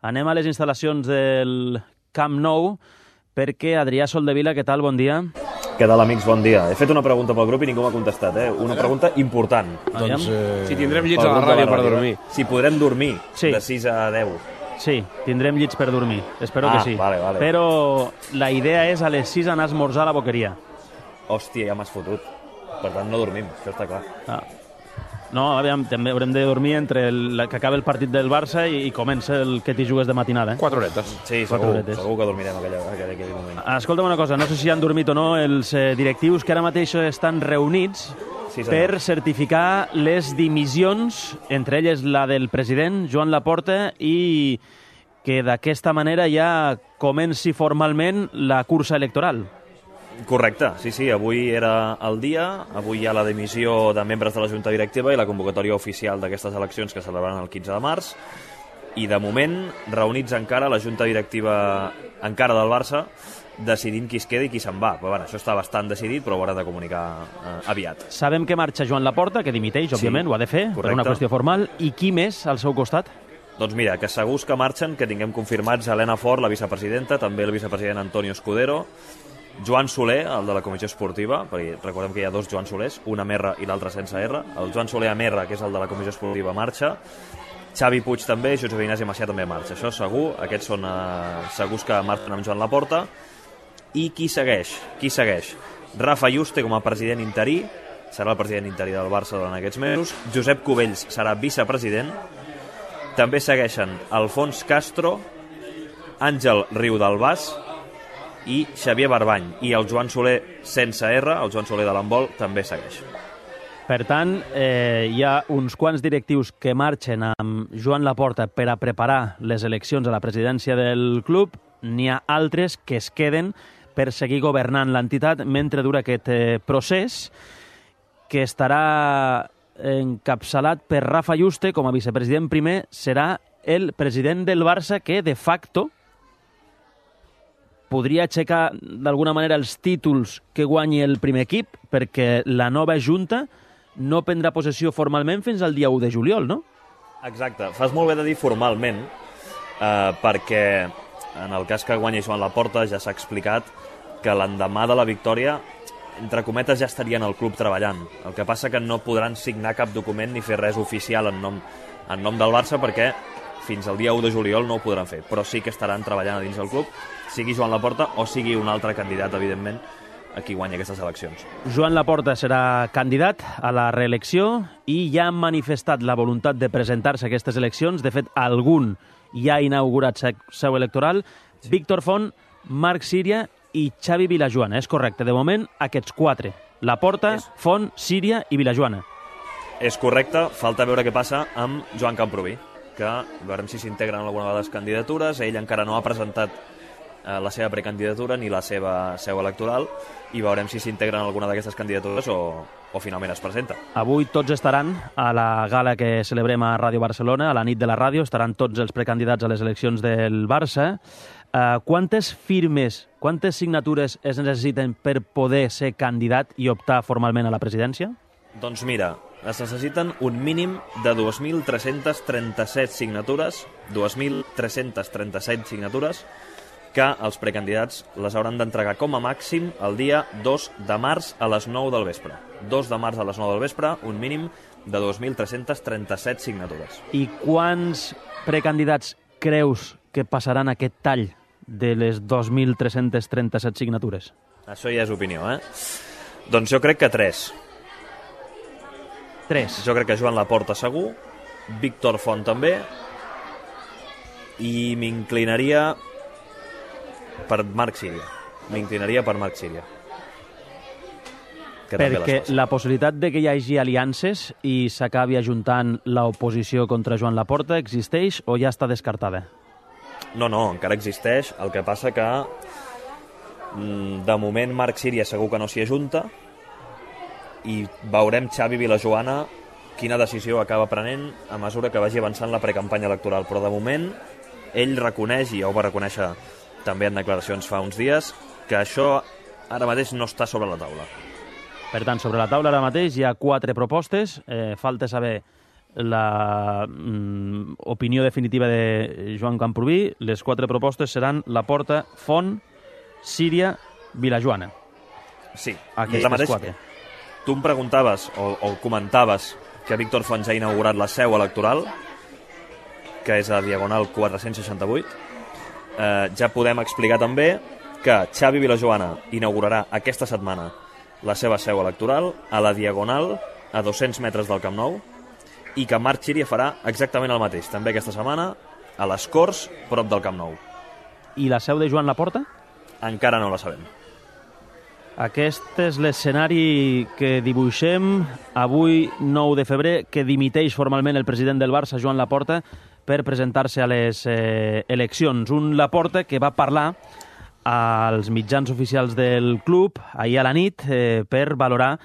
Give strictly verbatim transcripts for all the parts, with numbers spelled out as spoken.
Anem a les instal·lacions del Camp Nou perquè Adrià Soldevila, què tal? Bon dia. Què tal, amics? Bon dia. He fet una pregunta pel grup i ningú m'ha contestat, eh? Una pregunta important. Doncs, eh... Si tindrem llits a la ràdio per dormir. Si podrem dormir Sí. de sis a deu. Sí, tindrem llits per dormir. Espero Ah, que sí. vale, vale. Però la idea és a les sis anar a esmorzar a la boqueria. Hòstia, ja m'has fotut. Per tant, no dormim, això està clar. Ah. No, aviam, també haurem de dormir entre el, que acabi el partit del Barça i, i comença el que t'hi jugues de matinada. Eh? Quatre horetes. Sí, Quatre segur, horetes. segur que dormirem aquell, aquell, aquell moment. Escolta'm una cosa, no sé si han dormit o no els eh, directius que ara mateix estan reunits Sí, senyor. per certificar les dimissions, entre elles la del president, Joan Laporta, i que d'aquesta manera ja comenci formalment la cursa electoral. Correcte, sí, sí, avui era el dia, avui hi ha la dimissió de membres de la Junta Directiva i la convocatòria oficial d'aquestes eleccions que es celebraran el quinze de març, i de moment reunits encara la Junta Directiva encara del Barça, decidint qui es queda i qui se'n va. Però, bueno, això està bastant decidit, però ho haurà de comunicar eh, aviat. Sabem que marxa Joan Laporta, que dimiteix, Sí, òbviament, ho ha de fer, per correcte. una qüestió formal, i qui més al seu costat? Doncs mira, que segurs que marxen, que tinguem confirmats Helena Fort, la vicepresidenta, també el vicepresident Antonio Escudero, Joan Soler, el de la Comissió Esportiva, perquè recordem que hi ha dos Joan Solers, un amb R i l'altre sense R. El Joan Soler amb R, que és el de la Comissió Esportiva, marxa. Xavi Puig també, Josep Ignasi Macià també marxa. Això segur, aquests són eh, segurs que marxen amb Joan Laporta. I qui segueix? Qui segueix? Rafa Yuste com a president interí, serà el president interí del Barça durant aquests mesos. Josep Cubells serà vicepresident. També segueixen Alfons Castro, Àngel Riudalbàs i Xavier Barbany. I el Joan Soler sense R, el Joan Soler de l'handbol, també segueix. Per tant, eh, hi ha uns quants directius que marxen amb Joan Laporta per a preparar les eleccions a la presidència del club. N'hi ha altres que es queden per seguir governant l'entitat mentre dura aquest eh, procés, que estarà encapçalat per Rafa Yuste com a vicepresident primer. Serà el president del Barça que, de facto, podria aixecar d'alguna manera els títols que guanyi el primer equip, perquè la nova Junta no prendrà possessió formalment fins al dia u de juliol, no? Exacte. Fas molt bé de dir formalment, eh, perquè en el cas que guanyi Joan Laporta ja s'ha explicat que l'endemà de la victòria, entre cometes, ja estarien al club treballant. El que passa que no podran signar cap document ni fer res oficial en nom, en nom del Barça, perquè fins al dia u de juliol no ho podran fer, però sí que estaran treballant a dins del club, sigui Joan Laporta o sigui un altre candidat, evidentment, a qui guanya aquestes eleccions. Joan Laporta serà candidat a la reelecció i ja han manifestat la voluntat de presentar-se a aquestes eleccions. De fet, algun ja ha inaugurat seu electoral. Sí. Víctor Font, Marc Síria i Xavi Vilajoana. És correcte. De moment, aquests quatre. Laporta, és... Font, Síria i Vilajoana. És correcte. Falta veure què passa amb Joan Camproví, que veurem si s'integren alguna de les candidatures. Ell encara no ha presentat eh, la seva precandidatura ni la seva seu electoral, i veurem si s'integren alguna d'aquestes candidatures o, o finalment es presenta. Avui tots estaran a la gala que celebrem a Ràdio Barcelona, a la nit de la ràdio, estaran tots els precandidats a les eleccions del Barça. Uh, quantes firmes, quantes signatures es necessiten per poder ser candidat i optar formalment a la presidència? Doncs mira, es necessiten un mínim de dos mil tres-centes trenta-set signatures, dos mil tres-centes trenta-set signatures, que els precandidats les hauran d'entregar com a màxim el dia dos de març a les nou del vespre. dos de març a les nou del vespre, un mínim de dos mil tres-centes trenta-set signatures. I quants precandidats creus que passaran aquest tall de les dos mil tres-centes trenta-set signatures? Això ja és opinió, eh? Doncs jo crec que tres. Tres. Jo crec que Joan Laporta segur, Víctor Font també, i m'inclinaria per Marc Síria. M'inclinaria per Marc Síria. Que Perquè la possibilitat de que hi hagi aliances i s'acabi ajuntant l'oposició contra Joan Laporta existeix o ja està descartada? No, no, encara existeix. El que passa que de moment Marc Síria segur que no s'hi ajunta, i veurem Xavi Vilajoana quina decisió acaba prenent a mesura que vagi avançant la precampanya electoral. Però de moment ell reconeix, i ja ho va reconèixer també en declaracions fa uns dies, que això ara mateix no està sobre la taula. Per tant, sobre la taula ara mateix hi ha quatre propostes. Eh, falta saber la mm, opinió definitiva de Joan Camprubí. Les quatre propostes seran Laporta, Font, Síria, Vilajoana. Sí, aquestes mateix, quatre. Tu em preguntaves o, o comentaves que Víctor Font ja ha inaugurat la seu electoral, que és a Diagonal quatre-cents seixanta-vuit. Eh, ja podem explicar també que Xavi Vilajoana inaugurarà aquesta setmana la seva seu electoral a la Diagonal, a dos-cents metres del Camp Nou, i que Marc Xíria farà exactament el mateix, també aquesta setmana, a les Corts, prop del Camp Nou. I la seu de Joan Laporta? Encara no la sabem. Aquest és l'escenari que dibuixem avui, nou de febrer, que dimiteix formalment el president del Barça, Joan Laporta, per presentar-se a les eh, eleccions. Un Laporta que va parlar als mitjans oficials del club ahir a la nit eh, per valorar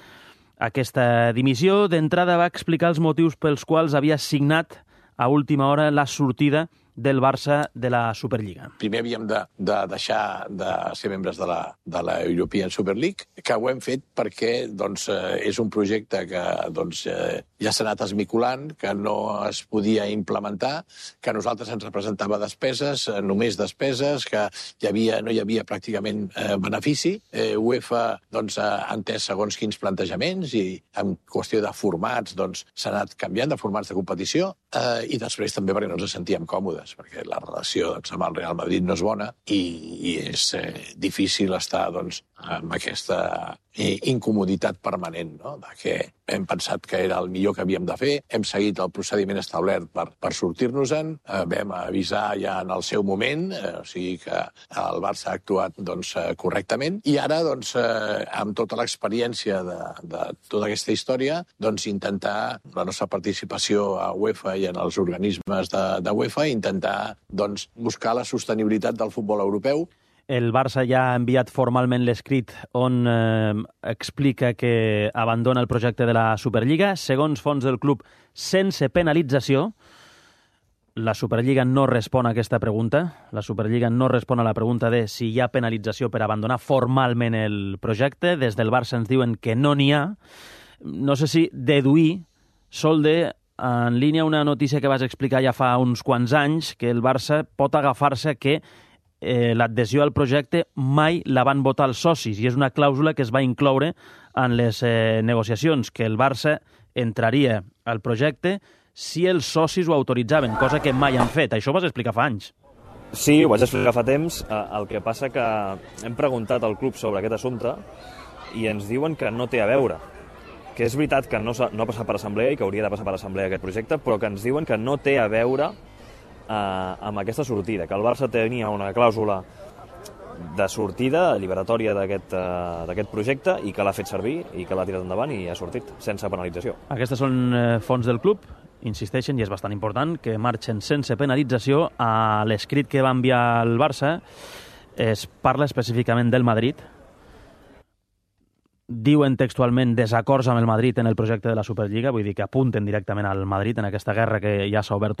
aquesta dimissió. D'entrada va explicar els motius pels quals havia signat a última hora la sortida del Barça de la Superliga. Primer havíem de, de deixar de ser membres de la, de la European Super League, que ho hem fet perquè doncs, eh, és un projecte que doncs, eh, ja s'ha anat esmiculant, que no es podia implementar, que a nosaltres ens representava despeses, eh, només despeses, que hi havia, no hi havia pràcticament eh, benefici. Eh, UEFA doncs, ha entès segons quins plantejaments i en qüestió de formats doncs, s'ha anat canviant de formats de competició eh, i després també perquè no ens sentíem còmodes, perquè la relació doncs, amb el Real Madrid no és bona i, i és eh, difícil estar doncs, amb aquesta eh, incomoditat permanent, no? De que hem pensat que era el millor que havíem de fer, hem seguit el procediment establert per, per sortir-nos-en, eh, vam avisar ja en el seu moment, eh, o sigui que el Barça ha actuat doncs, eh, correctament, i ara, doncs, eh, amb tota l'experiència de, de tota aquesta història, doncs, intentar la nostra participació a UEFA i en els organismes de, de UEFA, intentar doncs, buscar la sostenibilitat del futbol europeu. El Barça ja ha enviat formalment l'escrit on eh, explica que abandona el projecte de la Superliga. Segons fons del club, sense penalització. La Superliga no respon a aquesta pregunta. La Superliga no respon a la pregunta de si hi ha penalització per abandonar formalment el projecte. Des del Barça ens diuen que no n'hi ha. No sé si deduir, Solde, en línia una notícia que vas explicar ja fa uns quants anys, que el Barça pot agafar-se que eh, l'adhesió al projecte mai la van votar els socis, i és una clàusula que es va incloure en les eh, negociacions, que el Barça entraria al projecte si els socis ho autoritzaven, cosa que mai han fet. Això ho vas explicar fa anys. Sí, ho vaig explicar fa temps. El que passa que hem preguntat al club sobre aquest assumpte i ens diuen que no té a veure. Que és veritat que no, no ha passat per assemblea i que hauria de passar per assemblea aquest projecte, però que ens diuen que no té a veure eh, amb aquesta sortida, que el Barça tenia una clàusula de sortida alliberatòria d'aquest eh, d'aquest projecte i que l'ha fet servir i que l'ha tirat endavant i ha sortit sense penalització. Aquestes són eh, fons del club, insisteixen, i és bastant important, que marxen sense penalització. A l'escrit que va enviar el Barça es parla específicament del Madrid. Diuen textualment desacords amb el Madrid en el projecte de la Superliga, vull dir que apunten directament al Madrid en aquesta guerra que ja s'ha obert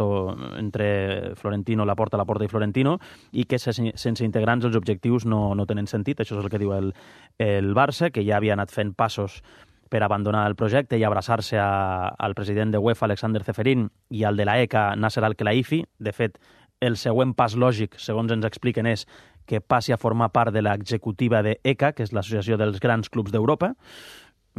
entre Florentino, Laporta, Laporta i Florentino, i que sense integrants els objectius no, no tenen sentit. Això és el que diu el, el Barça, que ja havia anat fent passos per abandonar el projecte i abraçar-se al president de UEFA, Alexander Ceferin, i al de la E C A, Nasser Al-Khelaifi. De fet, el següent pas lògic, segons ens expliquen, és que passi a formar part de l'executiva de E C A, que és l'Associació dels Grans Clubs d'Europa,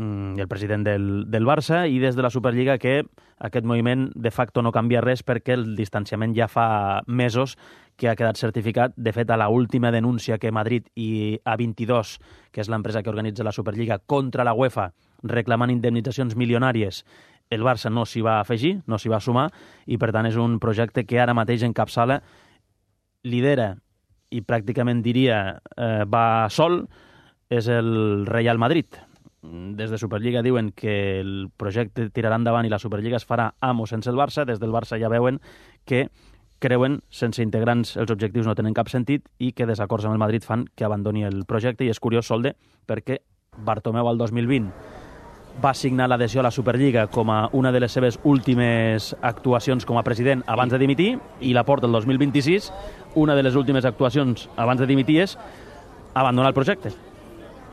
i el president del, del Barça, i des de la Superliga que aquest moviment de facto no canvia res perquè el distanciament ja fa mesos que ha quedat certificat. De fet, a la última denúncia que Madrid i A vint-i-dos, que és l'empresa que organitza la Superliga, contra la UEFA, reclamant indemnitzacions milionàries, el Barça no s'hi va afegir, no s'hi va sumar, i per tant és un projecte que ara mateix encapçala, lidera i pràcticament diria eh, va sol, és el Real Madrid. Des de Superliga diuen que el projecte tirarà endavant i la Superliga es farà amb o sense el Barça. Des del Barça ja veuen que creuen, sense integrants els objectius no tenen cap sentit i que desacords amb el Madrid fan que abandoni el projecte. I és curiós, Solde, perquè Bartomeu al dos mil vint va signar l'adhesió a la Superliga com a una de les seves últimes actuacions com a president abans de dimitir, i Laporta el dos mil vint-i-sis, una de les últimes actuacions abans de dimitir és abandonar el projecte.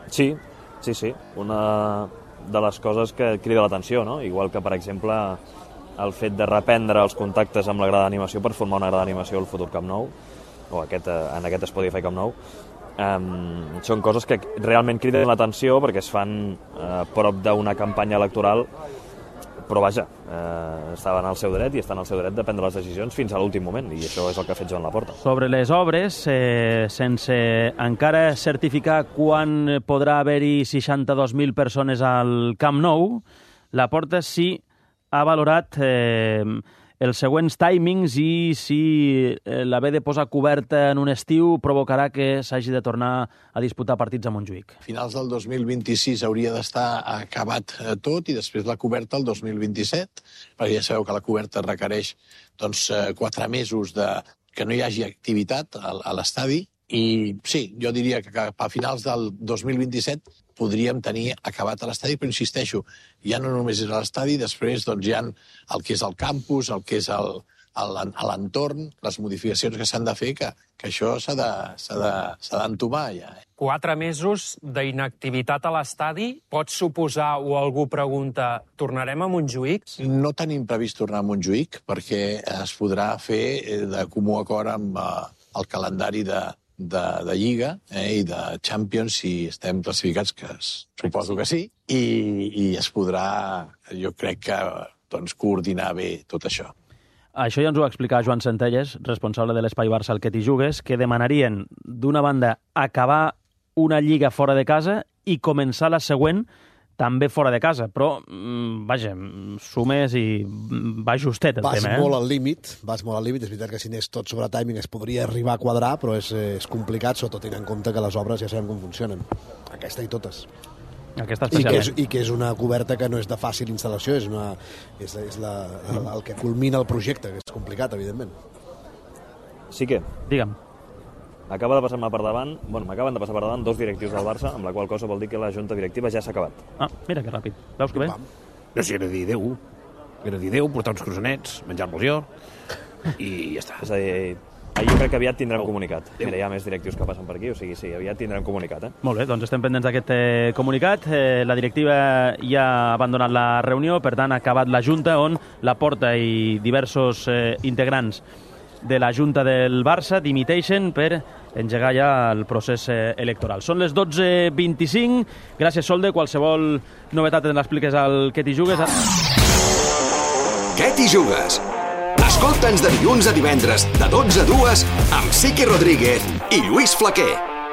Sí, sí, sí. Una de les coses que crida l'atenció, no? Igual que, per exemple, el fet de reprendre els contactes amb la grada d'animació per formar una grada d'animació al futur Camp Nou, o aquest, en aquest Spotify Camp Nou. Um, són coses que realment criden l'atenció perquè es fan a uh, prop d'una campanya electoral, però vaja, eh, estaven al seu dret i estan al seu dret de prendre les decisions fins a l'últim moment, i això és el que ha fet Joan Laporta. Sobre les obres, eh, sense encara certificar quan podrà haver-hi seixanta-dos mil persones al Camp Nou, Laporta sí ha valorat eh, els següents timings i si eh, l'haver de posar coberta en un estiu provocarà que s'hagi de tornar a disputar partits a Montjuïc. A finals del dos mil vint-i-sis hauria d'estar acabat tot i després la coberta el dos mil vint-i-set, perquè ja sabeu que la coberta requereix doncs, quatre mesos de que no hi hagi activitat a l'estadi. I sí, jo diria que a finals del dos mil vint-i-set podríem tenir acabat a l'estadi, però insisteixo, ja no només és a l'estadi, després doncs, hi ha el que és el campus, el que és el, el, l'entorn, les modificacions que s'han de fer, que, que això s'ha de, s'ha de, s'ha d'entomar ja. Quatre mesos d'inactivitat a l'estadi pot suposar, o algú pregunta, tornarem a Montjuïc? No tenim previst tornar a Montjuïc, perquè es podrà fer de comú acord amb eh, el calendari de, de, de Lliga eh, i de Champions, si estem classificats, que es, suposo que sí, i, i es podrà, jo crec que, doncs, coordinar bé tot això. Això ja ens ho va explicar Joan Centelles, responsable de l'Espai Barça al que t'hi jugues, que demanarien, d'una banda, acabar una lliga fora de casa i començar la següent també fora de casa, però, vaja, sumes i va justet el vas tema, eh? Vas molt al límit, vas molt al límit, és veritat que si anés tot sobre timing es podria arribar a quadrar, però és, és complicat, sobretot tenint en compte que les obres ja sabem com funcionen, aquesta i totes. Aquesta I que, és, especialment. I que és una coberta que no és de fàcil instal·lació, és, una, és, és la, el, el que culmina el projecte, que és complicat, evidentment. Sí que... Digue'm. Acaba de passar-me per davant, bueno, m'acaben de passar per davant dos directius del Barça, amb la qual cosa vol dir que la junta directiva ja s'ha acabat. Ah, mira que ràpid. Veus que bé? No sé, era dir adéu. Era dir adéu, portar uns croissants, menjar-me'ls jo, i ja està. És a dir, ahir jo crec que aviat tindrem comunicat. Mira, hi ha més directius que passen per aquí, o sigui, sí, aviat tindrem comunicat, eh? Molt bé, doncs estem pendents d'aquest eh, comunicat. Eh, la directiva ja ha abandonat la reunió, per tant, ha acabat la Junta, on Laporta i diversos eh, integrants de la Junta del Barça dimiteixen per engegar ja el procés eh, electoral. Són les dotze vint-i-cinc. Gràcies, Solde. Qualsevol novetat ens l'expliques al Que t'hi jugues. Que t'hi jugues? Escolta'ns de dilluns a divendres, de dotze a dues, amb Siqui Rodríguez i Lluís Flaquer.